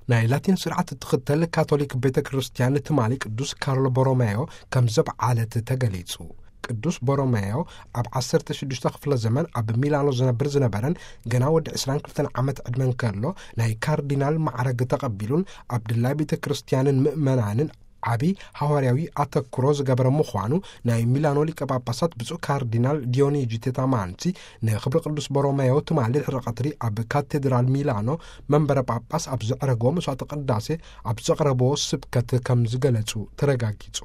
ናይ ላቲን ስርዓት እትኽተል ካቶሊክ ቤተ ክርስቲያን ትማሊ ቅዱስ ካርሎ ቦሮሜዮ ከም ዘብዓለት ተገሊጹ። ቅዱስ ቦሮሜዮ ኣብ ዓሰርተ ሽዱሽተ ክፍለ ዘመን ኣብ ሚላኖ ዝነብር ዝነበረን፣ ገና ወዲ ዕስራን ክልተን ዓመት ዕድመ እንከሎ ናይ ካርዲናል ማዕረግ ተቐቢሉን ኣብ ድላይ ቤተ ክርስቲያንን ምእመናንን ዓቢ ሃዋርያዊ ኣተኩሮ ዝገበረ ምዃኑ ናይ ሚላኖ ሊቀ ጳጳሳት ብፁዕ ካርዲናል ዲዮኒጂ ቴታማንሲ ንክብሪ ቅዱስ ቦሮሜዮ ትማሊ ድሕሪ ቀትሪ ኣብ ካቴድራል ሚላኖ መንበረ ጳጳስ ኣብ ዘዕረግዎ መስዋዕተ ቅዳሴ ኣብ ዘቕረብዎ ስብከት ከም ዝገለጹ ተረጋጊጹ።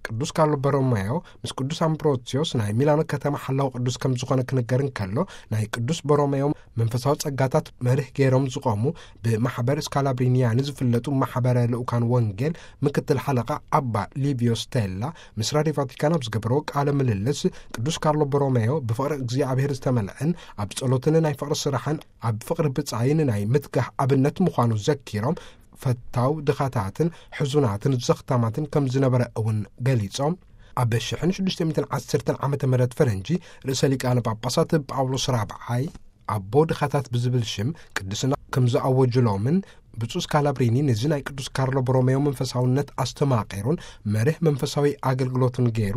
ቅዱስ ካርሎ ቦሮሜዮ ምስ ቅዱስ ኣምብሮሲዮስ ናይ ሚላኖ ከተማ ሓላው ቅዱስ ከም ዝኾነ ክንገር እንከሎ፣ ናይ ቅዱስ ቦሮሜዮ መንፈሳዊ ጸጋታት መርህ ገይሮም ዝቖሙ ብማሕበር ስካላብሪኒያኒ ዝፍለጡ ማሕበረ ልኡካን ወንጌል ምክትል ሓለቓ ኣባ ሊቪዮ ስቴላ ምስ ራድዮ ቫቲካን ኣብ ዝገበርዎ ቃለ ምልልስ፣ ቅዱስ ካርሎ ቦሮሜዮ ብፍቕሪ እግዚኣብሔር ዝተመልአን ኣብ ጸሎትን ናይ ፍቕሪ ስራሕን ኣብ ፍቕሪ ብጻይን ናይ ምትጋህ ኣብነት ምዃኑ ዘኪሮም፣ ፈታው ድኻታትን ሕዙናትን ዘኽታማትን ከም ዝነበረ እውን ገሊጾም። ኣብ ሽሕን ሽዱሽተ ሚእትን ዓሰርተን ዓመተ ምህረት ፈረንጂ ርእሰ ሊቃነ ጳጳሳት ጳውሎስ ራብዓይ ኣቦ ድኻታት ብዝብል ሽም ቅድስና ከም ዝኣወጅሎምን፣ ብፁዕ ስካላብሪኒ ነዚ ናይ ቅዱስ ካርሎ ቦሮሜዮ መንፈሳውነት ኣስተማቒሩን መርህ መንፈሳዊ ኣገልግሎትን ገይሩ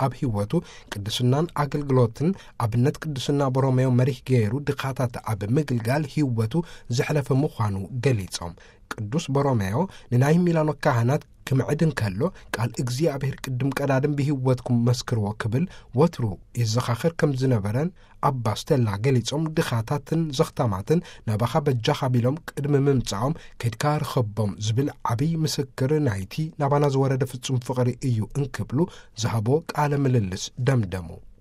ኣብ ህይወቱ ቅድስናን ኣገልግሎትን ኣብነት ቅድስና ቦሮሜዮ መሪህ ገይሩ ድኻታት ኣብ ምግልጋል ህይወቱ ዘሕለፈ ምዃኑ ገሊጾም። ቅዱስ ቦሮሜዮ ንናይ ሚላኖ ካህናት ክምዕድ እንከሎ፣ ቃል እግዚኣብሔር ቅድም ቀዳድም ብህይወትኩም መስክርዎ ክብል ወትሩ ይዘኻኸር ከም ዝነበረን ኣባ ስቴላ ገሊጾም፣ ድኻታትን ዘኽታማትን ናባኻ በጃኻ ቢሎም ቅድሚ ምምጻኦም ከድካ ርኸቦም ዝብል ዓብይ ምስክር ናይቲ ናባና ዝወረደ ፍጹም ፍቕሪ እዩ እንክብሉ ዝሃቦ ቃለ ምልልስ ደምደሙ።